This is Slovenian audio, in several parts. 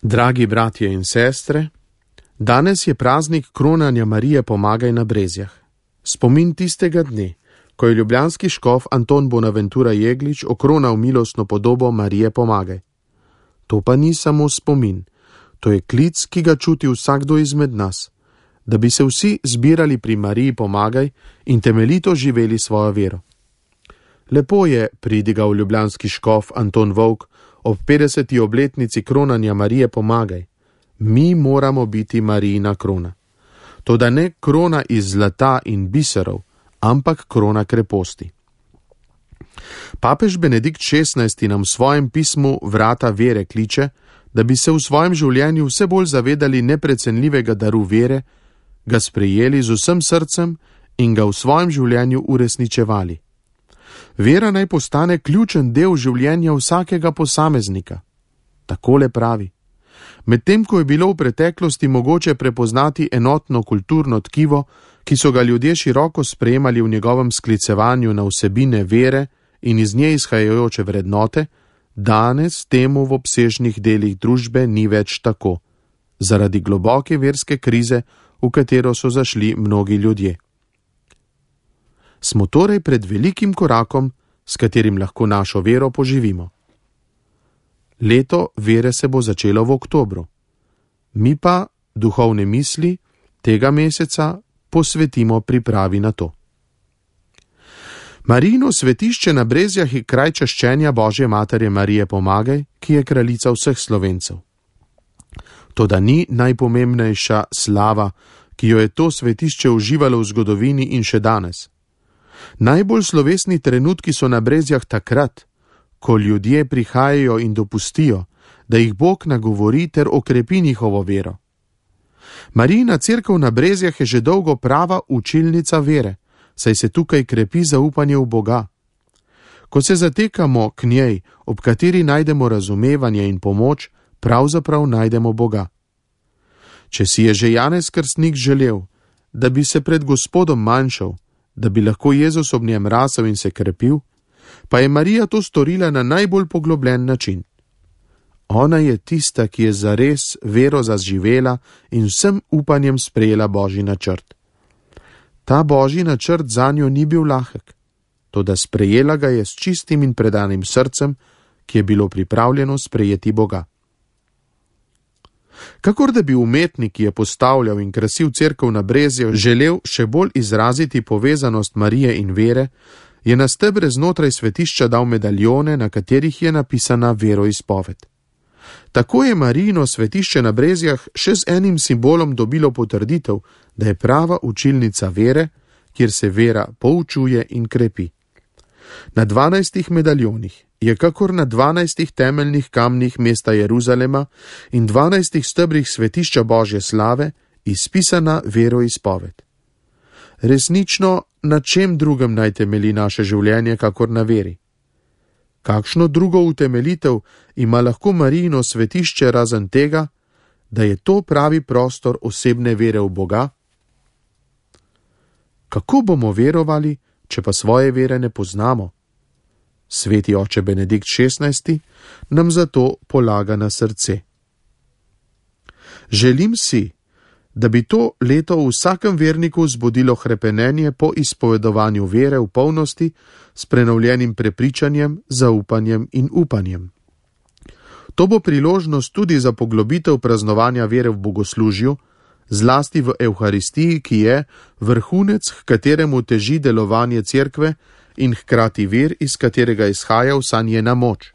Dragi bratje in sestre, danes je praznik kronanja Marije Pomagaj na Brezjah. Spomin tistega dne, ko je ljubljanski škof Anton Bonaventura Jeglič okronal milostno podobo Marije Pomagaj. To pa ni samo spomin, to je klic, ki ga čuti vsakdo izmed nas, da bi se vsi zbirali pri Mariji Pomagaj in temeljito živeli svojo vero. Lepo je, pridigal ljubljanski škof Anton Volk ob 50. obletnici kronanja Marije Pomagaj. Mi moramo biti Marijina krona. Toda ne krona iz zlata in biserov, ampak krona kreposti. Papež Benedikt XVI nam v svojem pismu Vrata vere kliče, da bi se v svojem življenju vse bolj zavedali neprecenljivega daru vere, ga sprejeli z vsem srcem in ga v svojem življenju uresničevali. Vera naj postane ključen del življenja vsakega posameznika. Takole pravi. Medtem ko je bilo v preteklosti mogoče prepoznati enotno kulturno tkivo, ki so ga ljudje široko sprejemali v njegovem sklicevanju na vsebine vere in iz nje izhajajoče vrednote, danes temu v obsežnih delih družbe ni več tako, zaradi globoke verske krize, v katero so zašli mnogi ljudje. Smo torej pred velikim korakom, s katerim lahko našo vero poživimo. Leto vere se bo začelo v oktobru. Mi pa duhovne misli tega meseca posvetimo pripravi na to. Marijino svetišče na Brezjah je kraj čaščenja Božje Matere Marije Pomagaj, ki je kraljica vseh Slovencev. Toda ni najpomembnejša slava, ki jo je to svetišče uživalo v zgodovini in še danes. Najbolj slovesni trenutki so na Brezjah takrat, ko ljudje prihajajo in dopustijo, da jih Bog nagovori ter okrepi njihovo vero. Marijina cerkev na Brezjah je že dolgo prava učilnica vere, saj se tukaj krepi zaupanje v Boga. Ko se zatekamo k njej, ob kateri najdemo razumevanje in pomoč, pravzaprav najdemo Boga. Če si je že Janez Krstnik želel, da bi se pred Gospodom manjšal, da bi lahko Jezus ob njem rasel in se krepil, pa je Marija to storila na najbolj poglobljen način. Ona je tista, ki je zares vero zaživela in vsem upanjem sprejela Božji načrt. Ta Božji načrt zanjo ni bil lahek, toda sprejela ga je s čistim in predanim srcem, ki je bilo pripravljeno sprejeti Boga. Kakor da bi umetnik, ki je postavljal in krasil cerkev na Brezjah, želel še bolj izraziti povezanost Marije in vere, je na stebre znotraj svetišča dal medaljone, na katerih je napisana veroizpoved. Tako je Marijino svetišče na Brezjah še z enim simbolom dobilo potrditev, da je prava učilnica vere, kjer se vera poučuje in krepi. Na 12 medaljonih je kakor na 12 temeljnih kamnih mesta Jeruzalema in 12 stebrih svetišča Božje slave izpisana veroizpoved. Resnično, na čem drugem naj temelji naše življenje, kakor na veri? Kakšno drugo utemeljitev ima lahko Marijino svetišče razen tega, da je to pravi prostor osebne vere v Boga? Kako bomo verovali, če pa svoje vere ne poznamo? Sveti oče Benedikt XVI nam zato polaga na srce. Želim si, da bi to leto v vsakem verniku vzbudilo hrepenenje po izpovedovanju vere v polnosti s prenovljenim prepričanjem, zaupanjem in upanjem. To bo priložnost tudi za poglobitev praznovanja vere v bogoslužju, zlasti v Evharistiji, ki je vrhunec, h kateremu teži delovanje cerkve in hkrati vir, iz katerega izhaja vsa njena moč.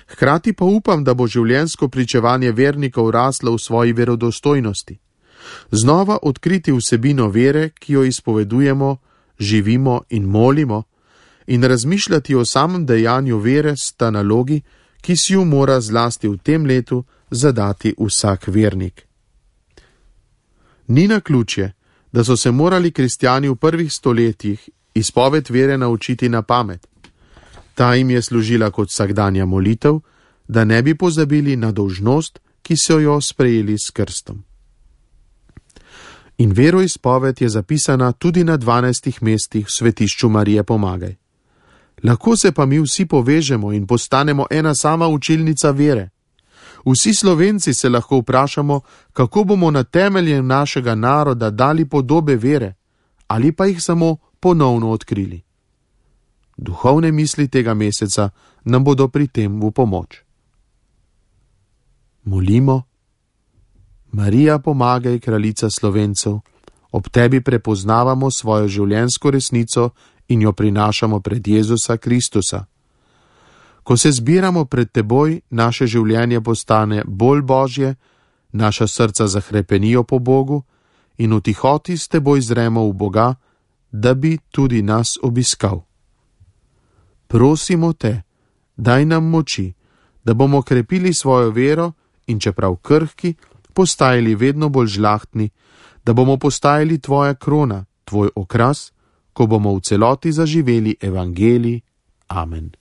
Hkrati pa upam, da bo življenjsko pričevanje vernikov raslo v svoji verodostojnosti. Znova odkriti vsebino vere, ki jo izpovedujemo, živimo in molimo, in razmišljati o samem dejanju vere sta nalogi, ki si jo mora zlasti v tem letu zadati vsak vernik. Ni naključje, da so se morali kristjani v prvih stoletjih izpoved vere naučiti na pamet. Ta jim je služila kot vsakdanja molitev, da ne bi pozabili na dolžnost, ki so jo sprejeli s krstom. In veroizpoved je zapisana tudi na 12 mestih v svetišču Marije Pomagaj. Lahko se pa mi vsi povežemo in postanemo ena sama učilnica vere. Vsi Slovenci se lahko vprašamo, kako bomo na temeljem našega naroda dali podobe vere, ali pa jih samo ponovno odkrili. Duhovne misli tega meseca nam bodo pri tem v pomoč. Molimo. Marija, pomagaj, kraljica Slovencev, ob tebi prepoznavamo svojo življenjsko resnico in jo prinašamo pred Jezusa Kristusa. Ko se zbiramo pred teboj, naše življenje postane bolj božje, naša srca zahrepenijo po Bogu in v tihoti s teboj zremo v Boga, da bi tudi nas obiskal. Prosimo te, daj nam moči, da bomo krepili svojo vero in čeprav krhki, postajali vedno bolj žlahtni, da bomo postajali tvoja krona, tvoj okras, ko bomo v celoti zaživeli evangelij. Amen.